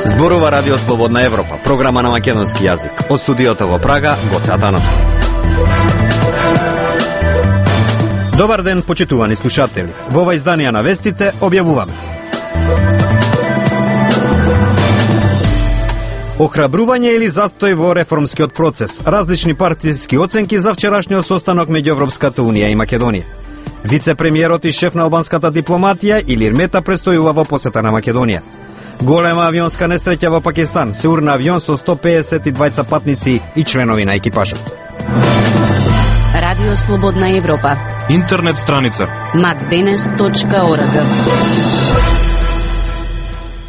Зборува Радио Слободна Европа, програма на македонски јазик. Од студиото во Прага, Гоце Атанасов. Добар ден, почитувани слушатели. Во ова издание на вестите објавуваме: охрабрување или застој во реформскиот процес. Различни партиски оценки за вчерашниот состанок меѓу Европската унија и Македонија. Вице-премиерот и шеф на албанската дипломатија Илир Мета престојува во посета на Македонија. Голема авионска несреќа во Пакистан, се урна авион со 152 патници и членови на екипажот. Радио Слободна Европа. Интернет страница macdenes.org.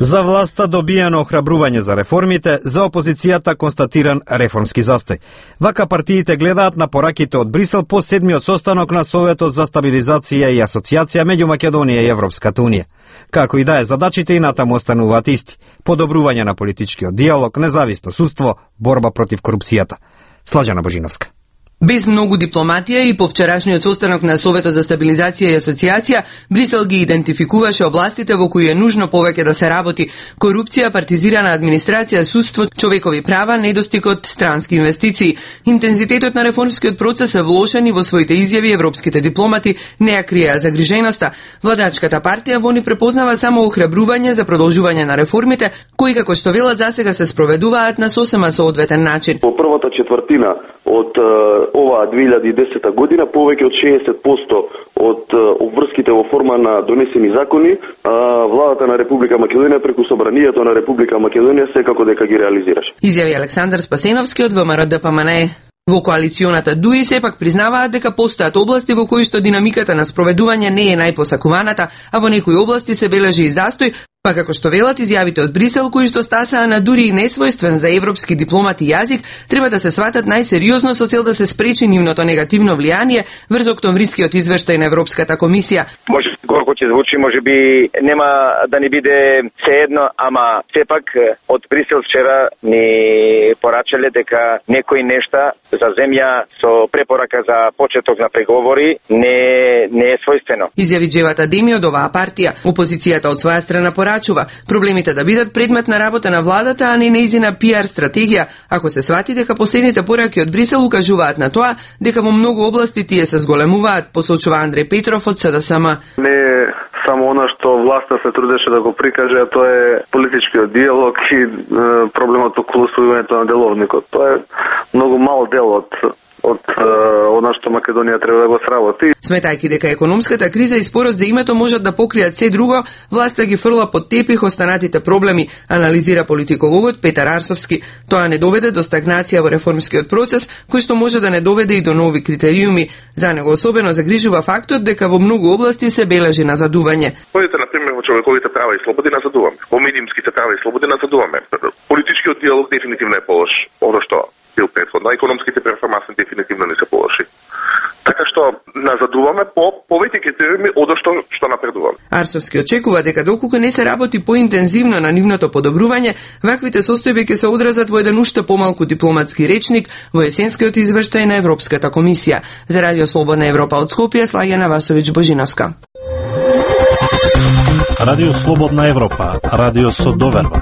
За власта добиено охрабрување за реформите, за опозицијата констатиран реформски застој. Вака партиите гледаат на пораките од Брисел по седмиот состанок на Советот за стабилизација и асоциација меѓу Македонија и Европската унија. Како и да е, задачите и натаму остануваат исти: подобрување на политичкиот диалог, независно судство, борба против корупцијата. Слажана Божиновска. Без многу дипломатија и по вчерашниот состанок на Советот за стабилизација и асоциација, Брисел ги идентификуваше областите во кои е нужно повеќе да се работи: корупција, партизирана администрација, судство, човекови права, недостигот странски инвестиции. Интензитетот на реформскиот процес е влошен и во своите изјави европските дипломати не ја криеа загриженоста. Владачката партија во ни препознава само охрабрување за продолжување на реформите, кои како што велат засега се спроведуваат на сосема соодветен начин. Во првата четвртина од оваа 2010 година повеќе од 60% од обврските во форма на донесени закони, владата на Република Македонија преку собранието на Република Македонија секако дека ги реализираше. Изјави Александар Спасеновски од ВМРО-ДПМНЕ. Во коалиционата ДУИ сепак признаваат дека постојат области во кои што динамиката на спроведување не е најпосакуваната, а во некои области се бележи и застој, па како што велат изјавите од Брисел, кои што стасаа на дури и несвојствен за европски дипломати јазик, треба да се сватат најсериозно со цел да се спречи нивното негативно влијание врз октомврискиот извештај на Европската комисија. Може колку ќе звучи, можеби нема да ни биде сеедно, ама сепак од Брисел вчера ни порачале дека некои нешта за земја со препорака за почеток на преговори не е својствено. Изјави Джевата Деми од оваа партија. Опозицијата од своја страна порачува проблемите да бидат предмет на работа на владата, а не нејзина пиар стратегија, ако се свати дека последните пораки од Брисел укажуваат на тоа дека во многу области тие се зголемуваат, посочува Андреј Петров од СДСМ. Не само она што власта се трудеше да го прикаже, а тоа е политичкиот диалог и проблемот околу усвојувањето на деловникот. Тоа е многу мал дел од она што Македонија треба да го сработи. Сметајќи дека економската криза и спорот за името можат да покријат се друго, власта ги фрла под тепих останатите проблеми, анализира политикологот Петар Арсовски. Тоа не доведе до стагнација во реформскиот процес, кој што може да не доведе и до нови критериуми. За него особено загрижува фактот дека во многу области се бележи назадување. Одите на пример во човековите права и слободи назадуваме. Во медиумските права и слободи назадуваме. Политичкиот диалог дефинитивно е полош. Оно што бил претходно, економските перформанси дефинитивно не се полоши. Така што назадуваме по повеќе критериуми од што напредуваме. Арсовски очекува дека доколку не се работи поинтензивно на нивното подобрување, ваквите состојби ќе се одразат во еден уште помалку дипломатски речник во есенскиот извештај на Европската комисија. За Радио Слободна Европа од Скопје, Слаѓана Васовиќ Божиновска. Радио Слободна Европа, радио со доверба.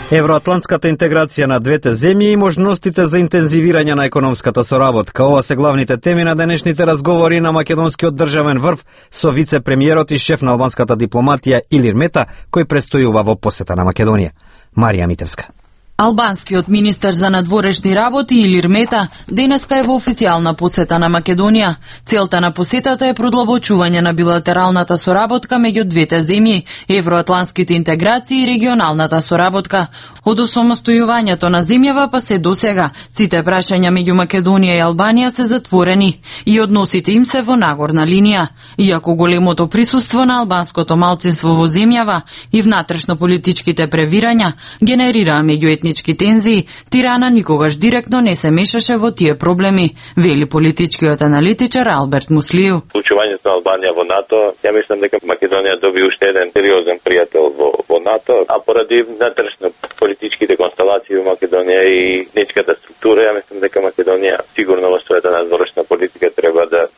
Евроатлантската интеграција на двете земји и можностите за интензивирање на економската соработка. Ова се главните теми на денешните разговори на македонскиот државен врв со вице-премиерот и шеф на албанската дипломатија Илир Мета, кој престојува во посета на Македонија. Марија Митевска. Албанскиот министер за надворешни работи Илир Мета денеска е во официјална посета на Македонија. Целта на посетата е продлабочување на билатералната соработка меѓу двете земји, евроатлантските интеграции и регионалната соработка. Од осамостојувањето на земјава па се досега, сите прашања меѓу Македонија и Албанија се затворени и односите им се во нагорна линија. Иако големото присуство на албанското малцинство во земјава и внатрешно политичките превирања генерираа меѓуетнички тензии, Тирана никогаш директно не се мешаше во тие проблеми, вели политичкиот аналитичар Алберт Муслиев. Случувањето на Албанија во НАТО, ја мислам дека Македонија доби уште еден сериозен пријател во НАТО, а поради внатрешно политичките констелации во Македонија и етничката структура, ја мислам дека Македонија сигурно во својата надворешна политика треба да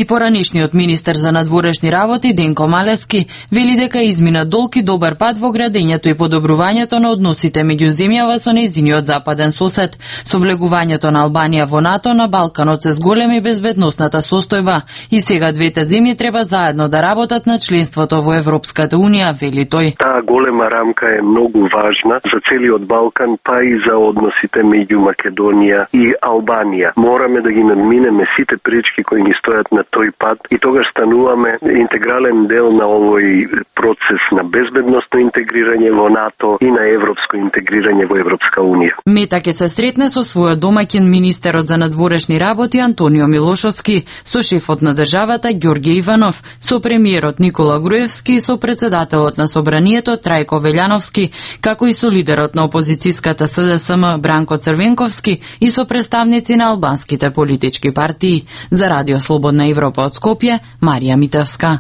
И поранишниот министер за надворешни работи Денко Малески вели дека измина долг и добар пат во градењето и подобрувањето на односите меѓу земјава со нејзиниот западен сосед. Со влегувањето на Албанија во НАТО на Балканот се зголеми безбедносната состојба и сега двете земји треба заедно да работат на членството во Европската унија, вели тој. Таа голема рамка е многу важна за целиот Балкан, па и за односите меѓу Македонија и Албанија. Мораме да ги надминеме сите пречки кои ни стојат на тој пат и тогаш стануваме интегрален дел на овој процес на безбедносно интегрирање во НАТО и на европско интегрирање во Европска унија. Мета ќе се сретне со својот домаќин министерот за надворешни работи Антонио Милошовски, со шефот на државата Ѓорѓе Иванов, со премиерот Никола Груевски и со председателот на Собранието Трајко Велјановски, како и со лидерот на опозицијската СДСМ Бранко Црвенковски и со представници на албанските политички партии. За Радио Слободна Европа од Скопје, Марија Митевска.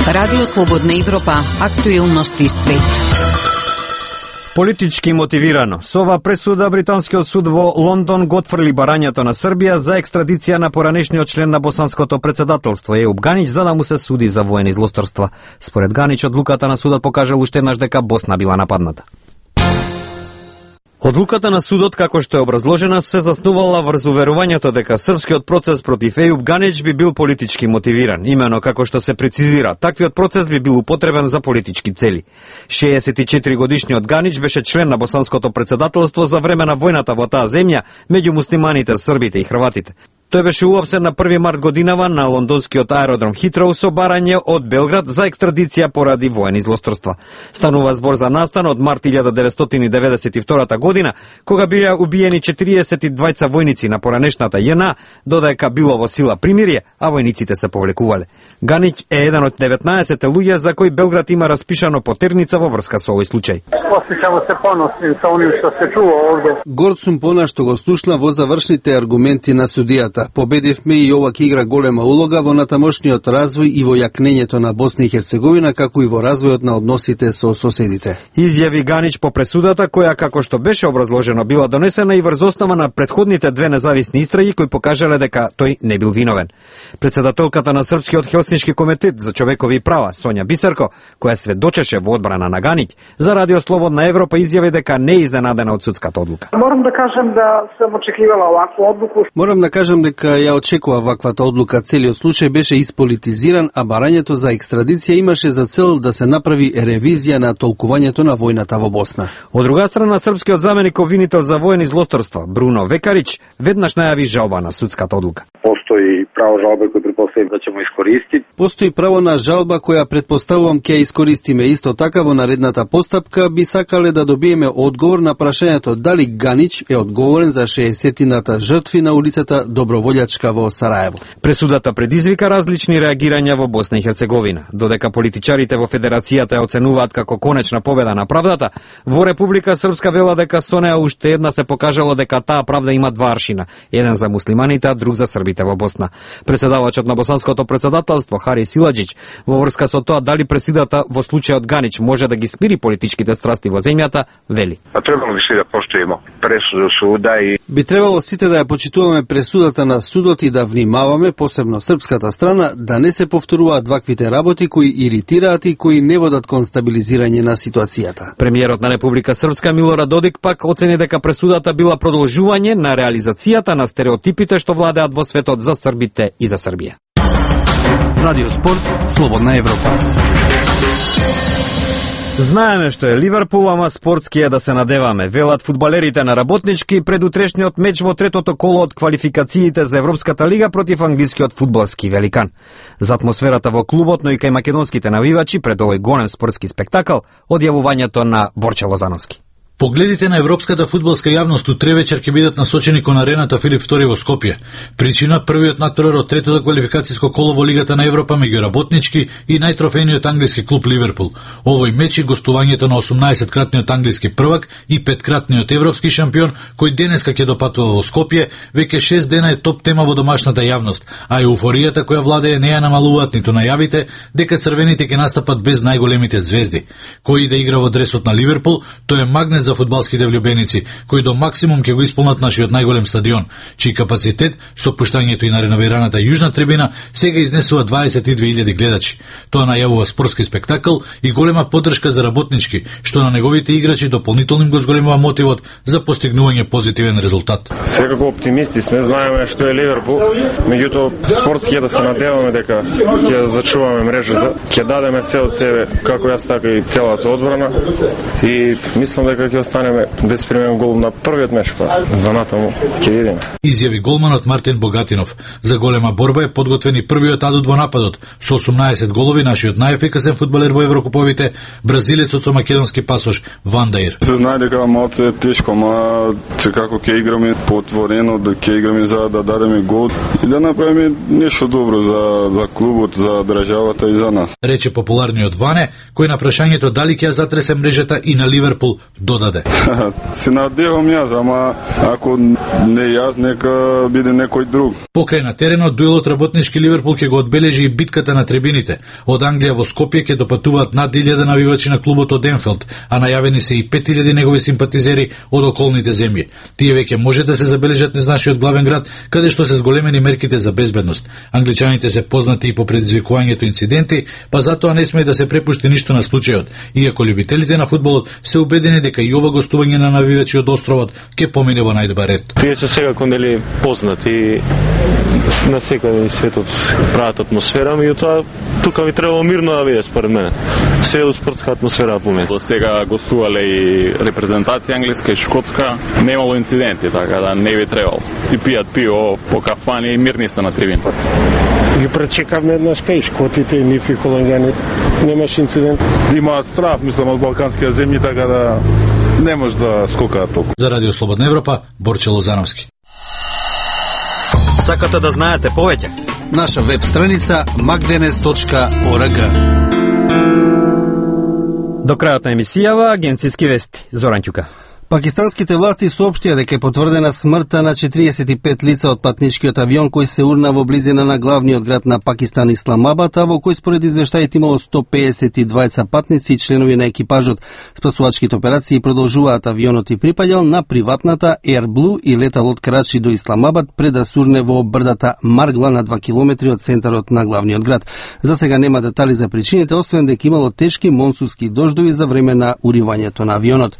Радио Слободна Европа, актуелности свет. Политички мотивирано. Со ова пресуда британскиот суд во Лондон го отфрли барањето на Србија за екстрадиција на поранешниот член на босанското председателство Ејуп Ганич за да му се суди за воени злосторства. Според Ганич, одлуката на судот покажала уште еднаш дека Босна била нападната. Одлуката на судот, како што е образложена, се заснувала врз уверувањето дека српскиот процес против Ејуп Ганич би бил политички мотивиран. Имено како што се прецизира, таквиот процес би бил употребен за политички цели. 64 годишниот Ганич беше член на босанското председателство за време на војната во таа земја меѓу муслиманите, србите и хрватите. Тој беше уапсен на 1 март годинава на лондонскиот аеродром Хитроу со барање од Белград за екстрадиција поради воени злосторства. Станува збор за настан од март 1992 година, кога биле убиени 42 војници на поранешната JNA, додека било во сила примирие, а војниците се повлекувале. Ганич е еден од 19 луѓе за кои Белград има распишано потерница во врска со овој случај. Осеќамо се поносни со оним што се чува овде. Горд сум пона што го слушна во завршните аргументи на судијата. Победивме и ова ќе игра голема улога во натамошниот развој и во јакнењето на Босна и Херцеговина, како и во развојот на односите со соседите. Изјави Ганич по пресудата, која, како што беше образложено, била донесена и врз основа на претходните две независни истраги кои покажале дека тој не бил виновен. Председателката на Српскиот Хелсиншки комитет за човекови права, Сонја Бисерко, која сведочеше во одбрана на Ганич, за Радио Слободна Европа изјави дека не е изненадена од судската одлука. Морам да кажам да сум очекувала оваква одлука. Морам да кажам дека ја очекува ваквата одлука. Целиот случај беше исполитизиран, а барањето за екстрадиција имаше за цел да се направи ревизија на толкувањето на војната во Босна. Од друга страна, српскиот заменик обвинител за воени злосторства Бруно Векарич веднаш најави жалба на судската одлука. Постои право жалба кој претпоставам да ќе му искористи. Постои право на жалба која претпоставувам ќе искористиме. Исто така во наредната постапка би сакале да добиеме одговор на прашањето дали Ганич е одговорен за 60-тината жртви на улицата Доброволјачка во Сараево. Пресудата предизвика различни реагирања во Босна и Херцеговина. Додека политичарите во Федерацијата ја оценуваат како конечна победа на правдата, во Република Српска вела дека со неа уште една се покажало дека таа правда има два аршина, еден за муслиманите, а друг за србите во Босна. Председавачот на босанското председателство Хари Силаджич во врска со тоа дали пресудата во случајот Ганич може да ги смири политичките страсти во земјата, вели. Требало би се да поштојимо пресуду суда и би требало сите да ја почитуваме пресудата на судот и да внимаваме, посебно српската страна, да не се повторуваат ваквите работи кои иритираат и кои не водат кон стабилизирање на ситуацијата. Премиерот на Република Српска Милорад Додик пак оцени дека пресудата била продолжување на реализацијата на стереотипите што владеат во светот за србите и за Србија. Радио Спорт, Слободна Европа. Знаеме што е Ливерпул, ама спортски е да се надеваме. Велат фудбалерите на Работнички пред утрешниот меч во третото коло од квалификациите за Европската лига против англискиот фудбалски великан. За атмосферата во клубот, но и кај македонските навивачи пред овој голем спортски спектакл, одјавувањето на Борче Лозановски. Погледите на европската фудбалска јавност утре вечер ќе бидат насочени кон арената Филип II во Скопје. Причина првиот натпревар од третото квалификацијско коло во Лигата на Европа меѓу Работнички и најтрофејниот англиски клуб Ливерпул. Овој меч и гостувањето на 18-кратниот англиски првак и 5-кратниот европски шампион, кој денеска ќе допатува во Скопје, веќе 6 дена е топ тема во домашната јавност, а еуфоријата која владее не ја намалуваат ниту најавите дека црвените ќе настапат без најголемите звезди. Кој да игра во дресот на Ливерпул, тој е магнет за фудбалските влюбеници, кои до максимум ќе го исполнат нашиот најголем стадион, чиј капацитет со пуштањето и на реновираната јужна трибина сега изнесува 22.000 гледачи. Тоа најавува спортски спектакл и голема поддршка за работнички, што на неговите играчи дополнително им го зголемува мотивот за постигнување позитивен резултат. Секако оптимисти сме, знаеме што е Ливерпул, меѓутоа спортски е да се надеваме дека ќе зачуваме мрежата, ќе дадеме се од себе, како јас така и целата одбрана, и мислам дека ќе останеме без примен гол на првиот меч, па за натаму ќе видиме. Изјави голманот Мартин Богатинов. За голема борба е подготвен и првиот адут во нападот. Со 18 голови нашиот најефикасен фудбалер во Еврокуповите, бразилецот со македонски пасош Ван Даир. Се знае дека малку е тешко, ма секако ќе играме потворено, да ќе играме за да дадеме гол и да направиме нешто добро за клубот, за државата и за нас. Рече популарниот Ване, кој на прашањето дали ќе ја затресе мрежата и на Ливерпул додаде. Се надевам јас, ама ако не јас, нека биде некој друг. Покрај на теренот, дуелот работнички Ливерпул ќе го одбележи и битката на трибините. Од Англија во Скопје ќе допатуваат над 1000 навивачи на клубот од Енфилд, а најавени се и 5000 негови симпатизери од околните земји. Тие веќе може да се забележат низ нашиот главен град, каде што се зголемени мерките за безбедност. Англичаните се познати и по предизвикувањето инциденти, па затоа не сме да се препушти ништо на случајот, иако љубителите на фудбалот се убедени дека и ова гостување на навивачи од островот ќе помине во најдобар ред. Тие се секако нели познати на секаде и светот прават атмосфера, меѓутоа тука би требало мирно да биде според мене. Се е спортска атмосфера по мене. До сега гостувале и репрезентација англиска и шкотска, немало инциденти, така да не би требало. Ти пијат пиво по кафани и мирни се на трибин. Ги пречекавме еднаш кај шкотите и нифи холандјани. Немаш инцидент. Има страв, мислам, од балканските земји, така да не може да скокаат толку. За Радио Слободна Европа, Борче Лозановски. Сакате да знаете повеќе? Наша веб страница magdenes.org. До крајот на емисијава, агенцијски вести. Зоран Ќука. Пакистанските власти соопштија дека е потврдена смртта на 45 лица од патничкиот авион кој се урна во близина на главниот град на Пакистан Исламабад, а во кој според извештаите имало 152 патници и членови на екипажот. Спасувачките операции продолжуваат. Авионот и припаѓал на приватната Air Blue и летал од Карачи до Исламабад пред да сурне во брдата Маргла на 2 километри од центарот на главниот град. За сега нема детали за причините, освен дека имало тешки монсунски дождови за време на уривањето на авионот.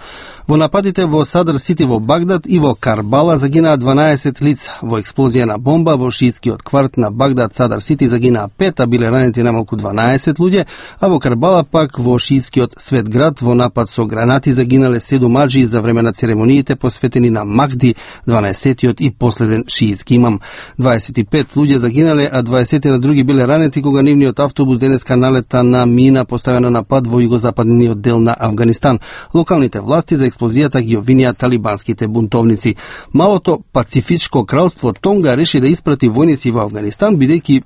Во нападите во Садар Сити во Багдад и во Карбала загинаа 12 лица. Во експлозија на бомба во шиитскиот кварт на Багдад Садар Сити загинаа 5, а биле ранети намалку 12 луѓе, а во Карбала пак во шиитскиот Свет град во напад со гранати загинале 7 аџии за време на церемониите посветени на Махди, 12-тиот и последен шиитски имам. 25 луѓе загинале, а 20 на други биле ранети кога нивниот автобус денеска налета на мина поставена на пат во југозападниот дел на Авганистан. Локалните власти за експлозијата ги обвинија талибанските бунтовници. Малото Пацифичко кралство Тонга реши да испрати војници во Авганистан, бидејќи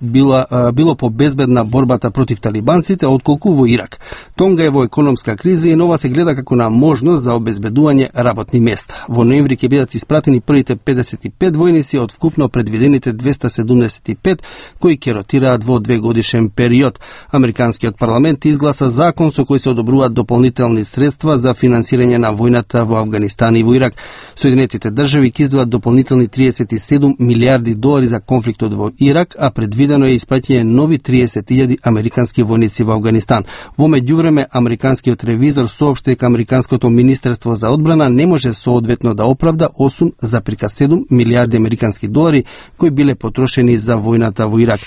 било побезбедна борбата против талибанците отколку во Ирак. Тонга е во економска криза и нова се гледа како на можност за обезбедување работни места. Во ноември ќе бидат испратени првите 55 војници од вкупно предвидените 275 кои ќе ротираат во 2-годишен период. Американскиот парламент изгласа закон со кој се одобруваат дополнителни средства за финансирање на војната во Авганистан и во Ирак. Соединетите држави ќе издвоат дополнителни 37 милиарди долари за конфликтот во Ирак, а предвидено е испраќање нови 30.000 американски војници во Авганистан. Во меѓувреме, американскиот ревизор соопшти дека американското министерство за одбрана не може соодветно да оправда 8,7 милиарди американски долари кои биле потрошени за војната во Ирак.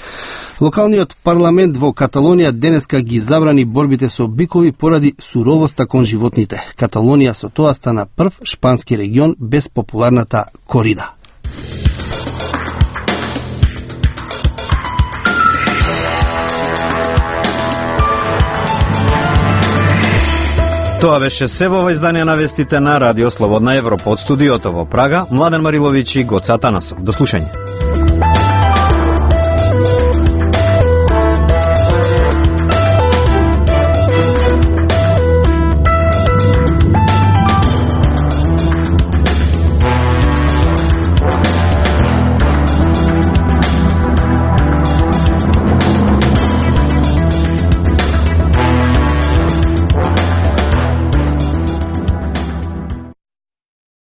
Локалниот парламент во Каталонија денеска ги забрани борбите со бикови поради суровоста кон животните. Каталонија со тоа стана прв шпански регион без популарната корида. Тоа беше се во издание на вестите на Радио Слободна Европа. Од студиото во Прага, Младен Мариловиќ и Гоце Атанасов. До слушање.